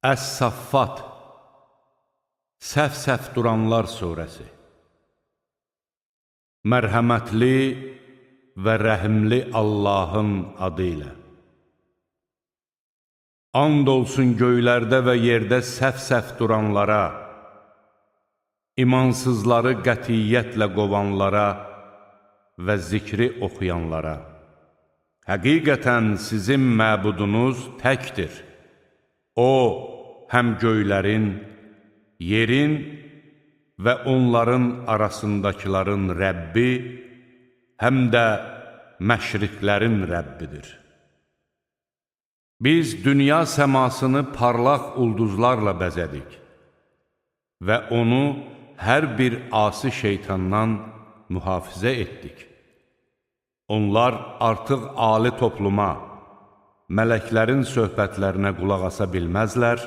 Əs-Saffat, Səf-səf duranlar surəsi. Mərhəmətli və rəhimli Allahın adı ilə. And olsun göylərdə və yerdə səf-səf duranlara, imansızları qətiyyətlə qovanlara və zikri oxuyanlara. Həqiqətən sizin məbudunuz təkdir. O, həm göylərin, yerin və onların arasındakiların Rəbbi, həm də məşriqlərin Rəbbidir. Biz dünya səmasını parlaq ulduzlarla bəzədik və onu hər bir asi şeytandan mühafizə etdik. Onlar artıq ali topluma, mələklərin söhbətlərinə qulaq asa bilməzlər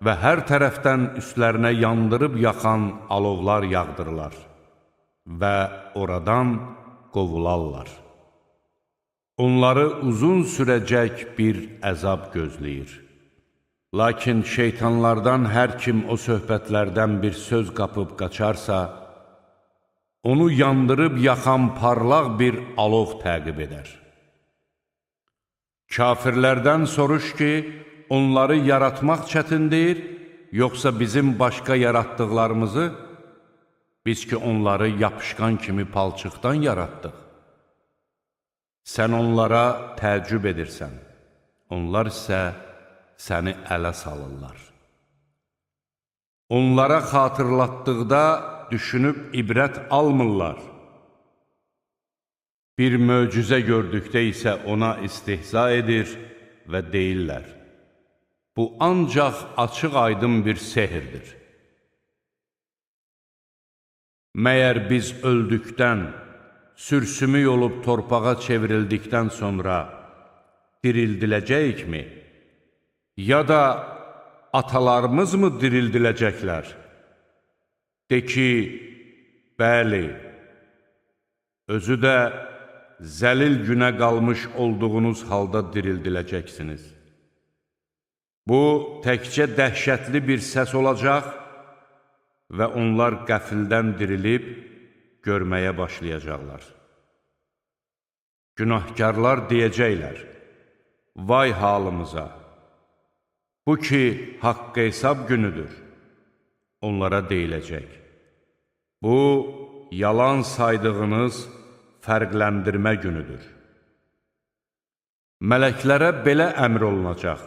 və hər tərəfdən üstlərinə yandırıb yaxan alovlar yağdırırlar və oradan qovularlar. Onları uzun sürəcək bir əzab gözləyir. Lakin şeytanlardan hər kim o söhbətlərdən bir söz qapıb qaçarsa, onu yandırıb yaxan parlaq bir alov təqib edər. Kafirlərdən soruş ki, onları yaratmaq çətindir, yoxsa bizim başqa yaratdıqlarımızı, biz ki onları yapışqan kimi palçıqdan yaratdıq. Sən onlara təəccüb edirsən, onlar isə səni ələ salırlar. Onlara xatırlatdıqda düşünüb ibrət almırlar. Bir möcüzə gördükdə isə ona istihza edir və deyirlər: bu ancaq açıq aydın bir sehirdir. Məyər biz öldükdən, sürsümük olub torpağa çevrildikdən sonra dirildiləcəyikmi? Ya da atalarımız mı dirildiləcəklər? De ki, bəli, özü də zəlil günə qalmış olduğunuz halda dirildiləcəksiniz. Bu, təkcə dəhşətli bir səs olacaq və onlar qəfildən dirilib görməyə başlayacaqlar. Günahkarlar deyəcəklər: vay halımıza! Bu ki, haqq hesab günüdür. Onlara deyiləcək: bu, yalan saydığınız fərqləndirmə günüdür. Mələklərə belə əmr olunacaq: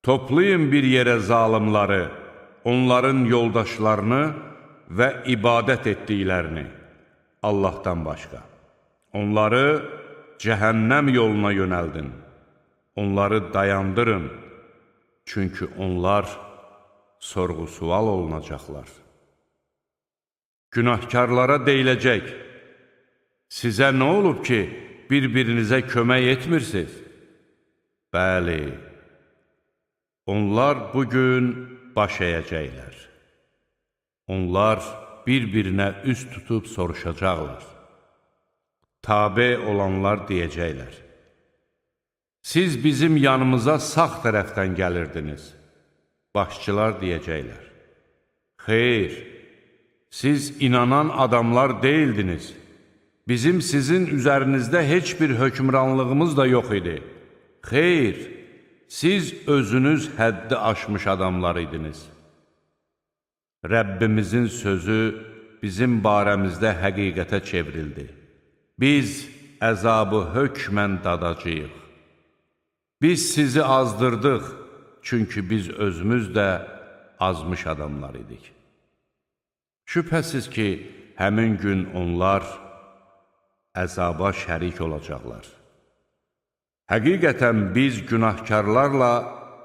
toplayın bir yerə zalimları, onların yoldaşlarını və ibadət etdiklərini Allahdan başqa. Onları cəhənnəm yoluna yönəldin, onları dayandırın, çünki onlar sorğu-sual olunacaqlar. Günahkarlara deyiləcək: sizə nə olub ki, bir-birinizə kömək etmirsiniz? Bəli, onlar bugün baş əyəcəklər. Onlar bir-birinə üz tutub soruşacaqlar. Tabe olanlar deyəcəklər: siz bizim yanımıza sağ tərəfdən gəlirdiniz. Başçılar deyəcəklər: xeyr, siz inanan adamlar deyildiniz. Bizim sizin üzərinizdə heç bir hökmranlığımız da yox idi. Xeyr, siz özünüz həddi aşmış adamlar idiniz. Rəbbimizin sözü bizim barəmizdə həqiqətə çevrildi. Biz əzabı hökmən dadacağıq. Biz sizi azdırdıq, çünki biz özümüz də azmış adamlar idik. Şübhəsiz ki, həmin gün onlar əzaba şərik olacaqlar. Həqiqətən biz günahkarlarla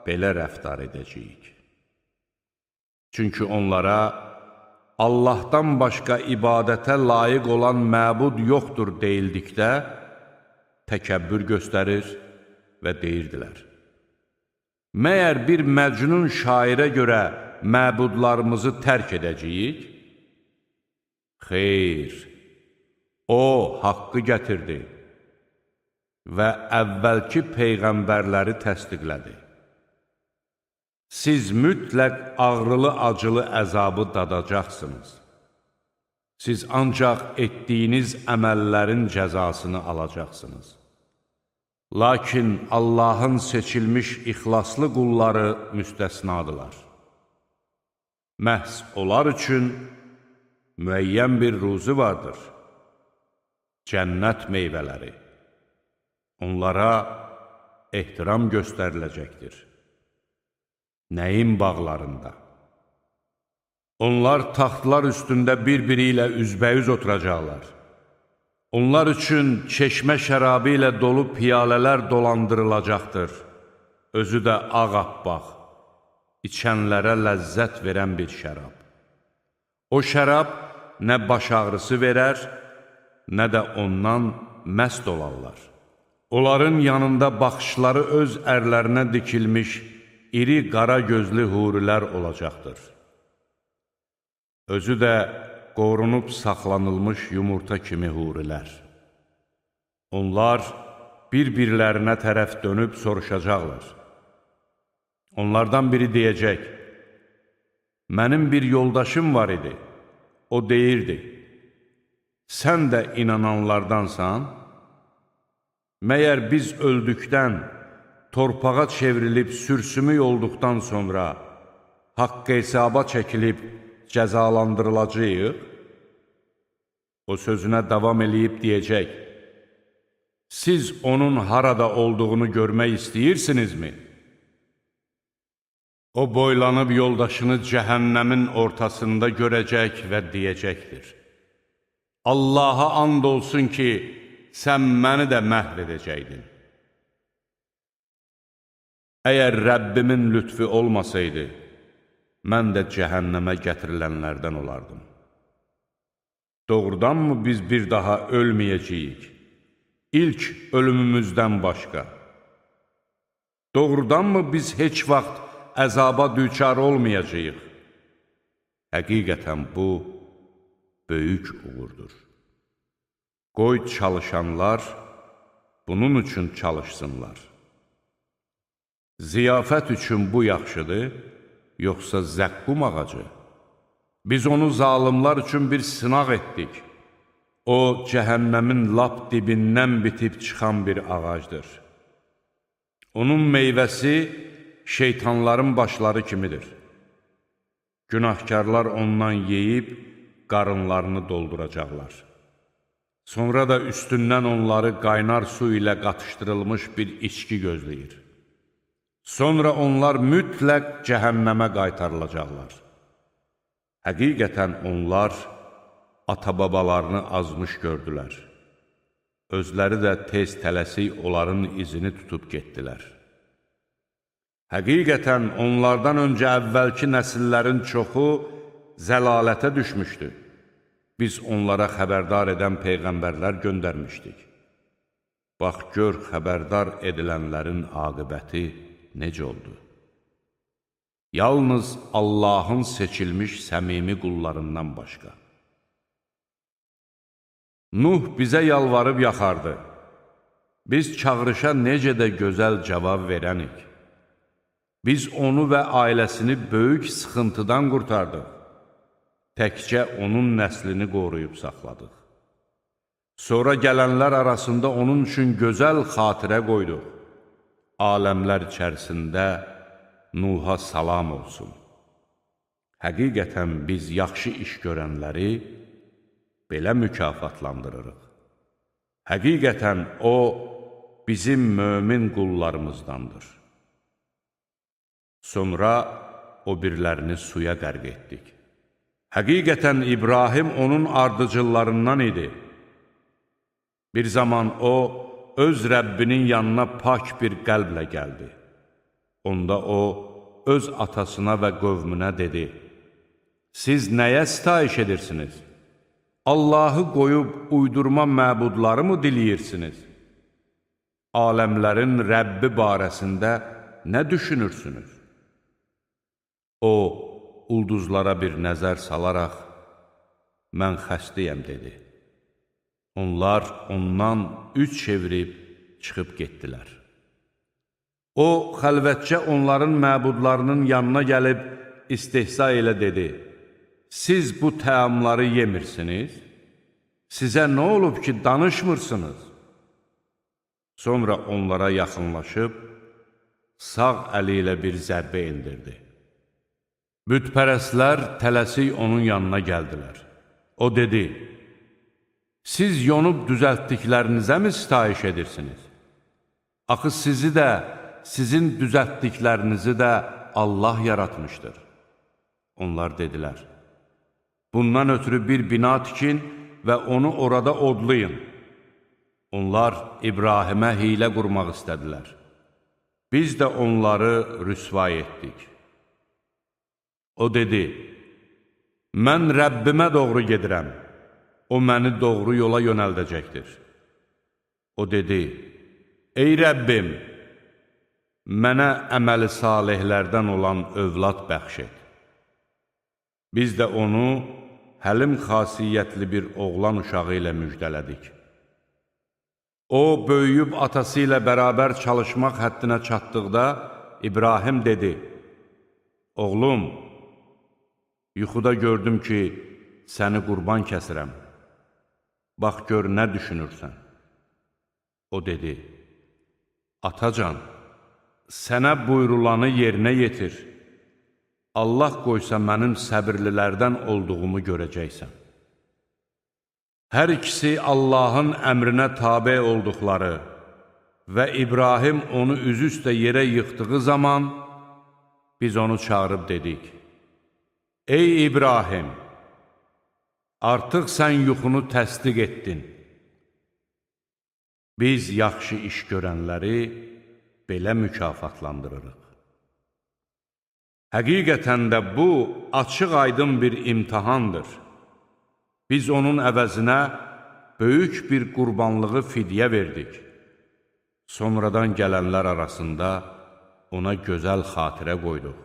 belə rəftar edəcəyik. Çünki onlara Allahdan başqa ibadətə layiq olan məbud yoxdur deyildikdə təkəbbür göstərir və deyirdilər: məyər bir məcnun şairə görə məbudlarımızı tərk edəcəyik? Xeyr, o haqqı gətirdi və əvvəlki peyğəmbərləri təsdiqlədi. siz mütləq ağrılı-acılı əzabı dadacaqsınız. Siz ancaq etdiyiniz əməllərin cəzasını alacaqsınız. Lakin Allahın seçilmiş ixlaslı qulları müstəsnadılar. Məhz onlar üçün müəyyən bir ruzu vardır. Cənnət meyvələri. Onlara ehtiram göstəriləcəkdir. Nəyin bağlarında? Onlar taxtlar üstündə bir-biri ilə üzbəyüz oturacaqlar. Onlar üçün çeşmə şərabı ilə dolu piyalələr dolandırılacaqdır. Özü də ağappaq, içənlərə ləzzət verən bir şərab. O şərab nə baş ağrısı verər, nə də ondan məst olarlar. Onların yanında baxışları öz ərlərinə dikilmiş iri qara gözlü hurilər olacaqdır. Özü də qorunub saxlanılmış yumurta kimi hurilər. Onlar bir-birlərinə tərəf dönüb soruşacaqlar. Onlardan biri deyəcək, mənim bir yoldaşım var idi, o deyirdi, sən də inananlardansan? Məyər biz öldükdən, torpağa çevrilib sürsümük olduqdan sonra haqq hesaba çəkilib cəzalandırılacağıq? O sözünə davam eləyib deyəcək, siz onun harada olduğunu görmək istəyirsinizmi? O boylanıb yoldaşını cəhənnəmin ortasında görəcək və deyəcəkdir. Allaha and olsun ki, sən məni də məhv edəcəkdin. Əgər Rəbbimin lütfi olmasaydı, mən də cəhənnəmə gətirilənlərdən olardım. Doğrudanmı biz bir daha ölməyəcəyik? İlk ölümümüzdən başqa. Doğrudanmı biz heç vaxt əzaba düçar olmayacağıq? Həqiqətən bu, böyük uğurdur. Qoy çalışanlar bunun üçün çalışsınlar. Ziyafət üçün bu yaxşıdır, yoxsa zəqqum ağacı? Biz onu zalımlar üçün bir sınaq etdik. O, cəhənnəmin lap dibindən bitib çıxan bir ağacdır. Onun meyvəsi şeytanların başları kimidir. Günahkarlar ondan yeyib, qarınlarını dolduracaqlar. Sonra da üstündən onları qaynar su ilə qatışdırılmış bir içki gözləyir. Sonra onlar mütləq cəhənnəmə qaytarılacaqlar. Həqiqətən onlar ata-babalarını azmış gördülər. Özləri də tez tələsik onların izini tutub getdilər. Həqiqətən onlardan öncə əvvəlki nəsillərin çoxu zəlalətə düşmüşdü. Biz onlara xəbərdar edən peyğəmbərlər göndərmişdik. Bax, gör xəbərdar edilənlərin aqibəti necə oldu? Yalnız Allahın seçilmiş səmimi qullarından başqa. Nuh bizə yalvarıb yaxardı. Biz çağırışa necə də gözəl cavab verənik. Biz onu və ailəsini böyük sıxıntıdan qurtardıq. Təkcə onun nəslini qoruyub saxladıq. Sonra gələnlər arasında onun üçün gözəl xatirə qoyduq. Aləmlər içərisində Nuha salam olsun. Həqiqətən biz yaxşı iş görənləri belə mükafatlandırırıq. Həqiqətən o, bizim mömin qullarımızdandır. Sonra o birlərini suya qərq etdik. Həqiqətən İbrahim onun ardıcıllarından idi. Bir zaman o, öz Rəbbinin yanına pak bir qəlblə gəldi. Onda o, öz atasına və qövmünə dedi, siz nəyə sitayiş edirsiniz? Allahı qoyub uydurma məbudları mı diləyirsiniz? Aləmlərin Rəbbi barəsində nə düşünürsünüz? O, ulduzlara bir nəzər salaraq, mən xəstəyəm, dedi. Onlar ondan üç çevirib çıxıb getdilər. O, xəlvətcə onların məbudlarının yanına gəlib istehza ilə dedi: Siz bu təamları yemirsiniz? Sizə nə olub ki, danışmırsınız? Sonra onlara yaxınlaşıb, sağ əli ilə bir zərbə indirdi. Bütpərəstlər tələsik onun yanına gəldilər. O dedi: Siz yonub düzəltdiklərinizə mi sitayiş edirsiniz? Axı sizi də, sizin düzəltdiklərinizi də Allah yaratmışdır. Onlar dedilər: Bundan ötürü bir bina tikin və onu orada odlayın. Onlar İbrahimə hiylə qurmaq istədilər. Biz də onları rüsvay etdik. O dedi: Mən Rəbbimə doğru gedirəm. O məni doğru yola yönəldəcəkdir. O dedi: Ey Rəbbim, mənə əməli salihlərdən olan övlad bəxş et. Biz də onu həlim xasiyyətli bir oğlan uşağı ilə müjdələdik. O, böyüyüb atası ilə bərabər çalışmaq həddinə çatdıqda İbrahim dedi: Oğlum, yuxuda gördüm ki, səni qurban kəsirəm. Bax, gör nə düşünürsən? O dedi: Atacan, sənə buyrulanı yerinə yetir. Allah qoysa mənim səbirlilərdən olduğumu görəcəksən. Hər ikisi Allahın əmrinə tabe olduqları və İbrahim onu üzüstə yerə yıxdığı zaman biz onu çağırıb dedik: Ey İbrahim, artıq sən yuxunu təsdiq etdin. Biz yaxşı iş görənləri belə mükafatlandırırıq. Həqiqətən də bu, açıq-aydın bir imtihandır. Biz onun əvəzinə böyük bir qurbanlığı fidyə verdik. Sonradan gələnlər arasında ona gözəl xatirə qoyduq.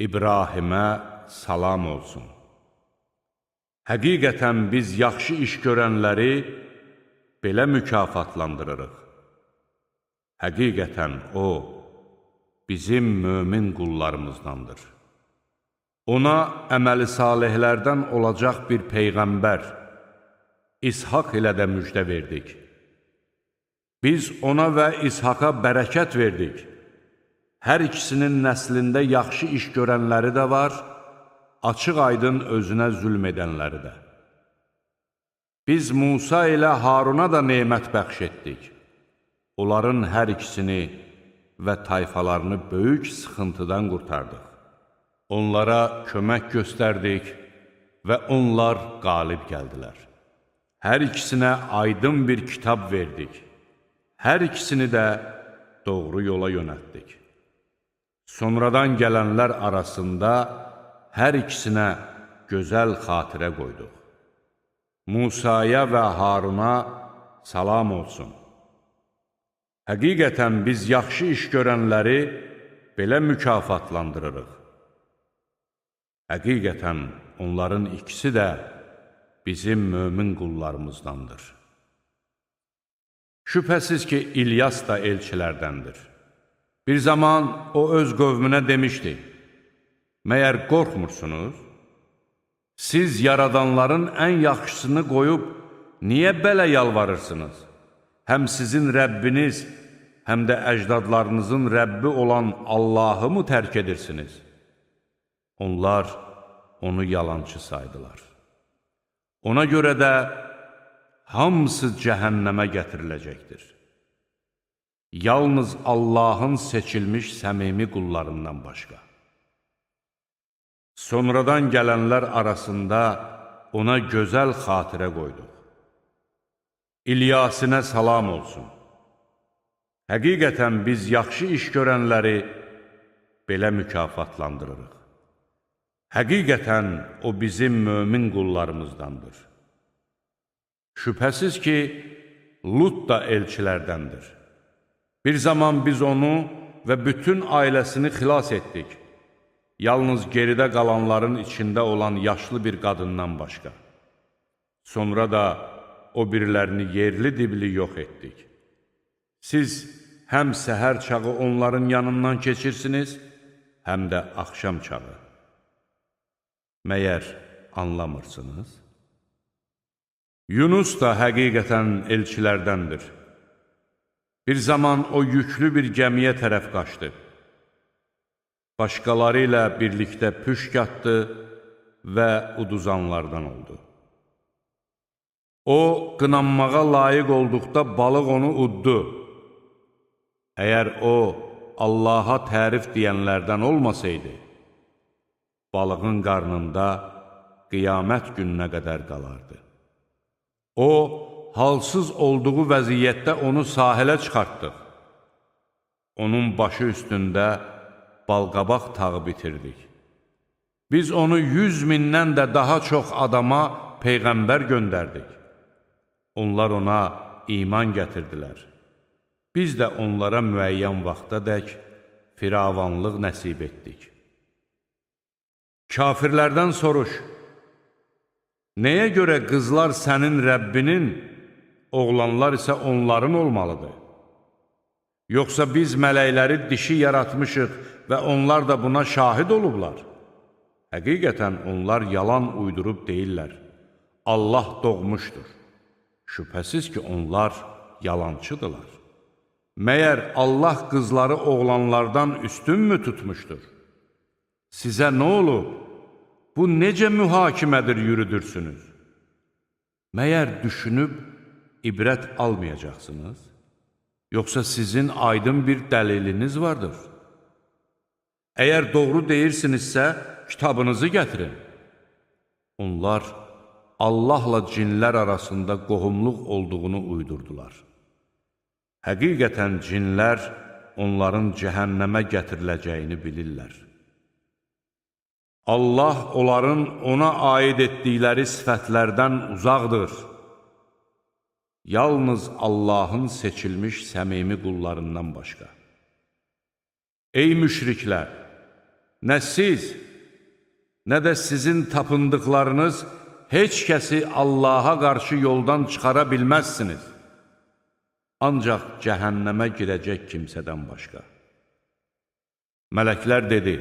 İbrahimə salam olsun. Həqiqətən biz yaxşı iş görənləri belə mükafatlandırırıq. Həqiqətən o, bizim mömin qullarımızdandır. Ona əməli salihlərdən olacaq bir peyğəmbər, İshaq ilə də müjdə verdik. Biz ona və İshaqa bərəkət verdik. Hər ikisinin nəslində yaxşı iş görənləri də var, açıq-aydın özünə zülm edənləri də. Biz Musa ilə Haruna da nemət bəxş etdik. Onların hər ikisini və tayfalarını böyük sıxıntıdan qurtardıq. Onlara kömək göstərdik və onlar qalib gəldilər. Hər ikisinə aydın bir kitab verdik. Hər ikisini də doğru yola yönəltdik. Sonradan gələnlər arasında hər ikisinə gözəl xatirə qoyduq. Musaya və Haruna salam olsun. Həqiqətən biz yaxşı iş görənləri belə mükafatlandırırıq. Həqiqətən onların ikisi də bizim mömin qullarımızdandır. Şübhəsiz ki, İlyas da elçilərdəndir. Bir zaman o öz qövmünə demişdi: Məyər qorxmursunuz? Siz yaradanların ən yaxşısını qoyub, niyə belə yalvarırsınız? Həm sizin Rəbbiniz, həm də əcdadlarınızın Rəbbi olan Allahı mı tərk edirsiniz? Onlar onu yalançı saydılar. Ona görə də hamısı cəhənnəmə gətiriləcəkdir. Yalnız Allahın seçilmiş səmimi qullarından başqa. Sonradan gələnlər arasında ona gözəl xatirə qoyduq. İlyasinə salam olsun. Həqiqətən biz yaxşı iş görənləri belə mükafatlandırırıq. Həqiqətən o bizim mömin qullarımızdandır. Şübhəsiz ki, Lut da elçilərdəndir. Bir zaman biz onu və bütün ailəsini xilas etdik. Yalnız geridə qalanların içində olan yaşlı bir qadından başqa. Sonra da o birilərini yerli dibli yox etdik. Siz həm səhər çağı onların yanından keçirsiniz, həm də axşam çağı. Məyər anlamırsınız? Yunus da həqiqətən elçilərdəndir. Bir zaman o yüklü bir gəmiyə tərəf qaçdı. Başqaları ilə birlikdə püşk atdı və uduzanlardan oldu. O, qınanmağa layiq olduqda balıq onu uddu. Əgər o, Allaha tərif deyənlərdən olmasaydı, balığın qarnında qiyamət gününə qədər qalardı. O, halsız olduğu vəziyyətdə onu sahilə çıxartdıq. Onun başı üstündə balqabaq tağı bitirdik. Biz onu 100 mindən də daha çox adama peyğəmbər göndərdik. Onlar ona iman gətirdilər. Biz də onlara müəyyən vaxtadək firavanlıq nəsib etdik. Kafirlərdən soruş, nəyə görə qızlar sənin Rəbbinin, oğlanlar isə onların olmalıdır? Yoxsa biz mələkləri dişi yaratmışıq və onlar da buna şahid olublar? Həqiqətən onlar yalan uydurub deyirlər. Allah doğmuşdur. Şübhəsiz ki, onlar yalancıdırlar. Məyər Allah qızları oğlanlardan üstünmü tutmuşdur? Sizə nə olub? Bu necə mühakimədir yürüdürsünüz? Məyər düşünüb ibrət almayacaqsınız? Yoxsa sizin aydın bir dəliliniz vardır? Əgər doğru deyirsinizsə, kitabınızı gətirin. Onlar Allahla cinlər arasında qohumluq olduğunu uydurdular. Həqiqətən cinlər onların cəhənnəmə gətiriləcəyini bilirlər. Allah onların ona aid etdikləri sifətlərdən uzaqdır. Yalnız Allahın seçilmiş səmimi qullarından başqa. Ey müşriklər! Nə siz, nə də sizin tapındıqlarınız heç kəsi Allaha qarşı yoldan çıxara bilməzsiniz. Ancaq cəhənnəmə girəcək kimsədən başqa. Mələklər dedi,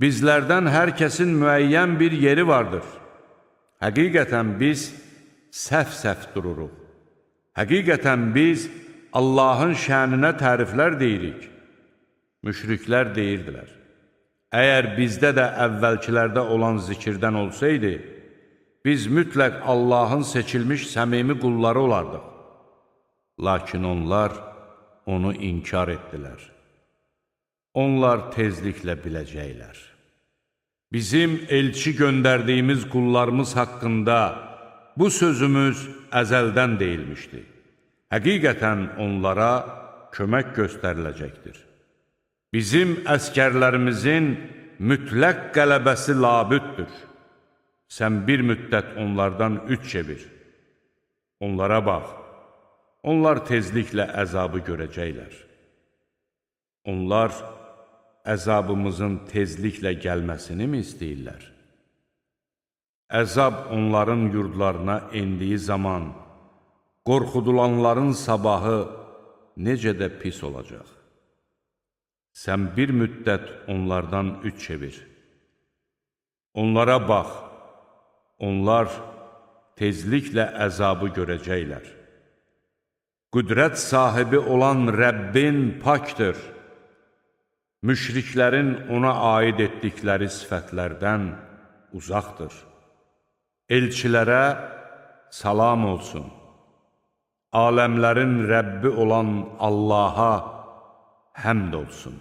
bizlərdən hər kəsin müəyyən bir yeri vardır. Həqiqətən biz səhv-səhv dururuq. Həqiqətən biz Allahın şəninə təriflər deyirik. Müşriklər deyirdilər, əgər bizdə də əvvəlkilərdə olan zikirdən olsaydı, biz mütləq Allahın seçilmiş səmimi qulları olardıq. Lakin onlar onu inkar etdilər. Onlar tezliklə biləcəklər. Bizim elçi göndərdiyimiz qullarımız haqqında bu sözümüz əzəldən deyilmişdi. Həqiqətən onlara kömək göstəriləcəkdir. Bizim əskərlərimizin mütləq qələbəsi labüddür. Sən bir müddət onlardan üç çevir. Onlara bax, onlar tezliklə əzabı görəcəklər. Onlar əzabımızın tezliklə gəlməsini mi istəyirlər? Əzab onların yurdlarına endiyi zaman, qorxudulanların sabahı necə də pis olacaq. Sən bir müddət onlardan üç çevir. Onlara bax, onlar tezliklə əzabı görəcəklər. Qüdrət sahibi olan Rəbbin pakdır. Müşriklərin ona aid etdikləri sifətlərdən uzaqdır. Elçilərə salam olsun. Aləmlərin Rəbbi olan Allaha həmd olsun.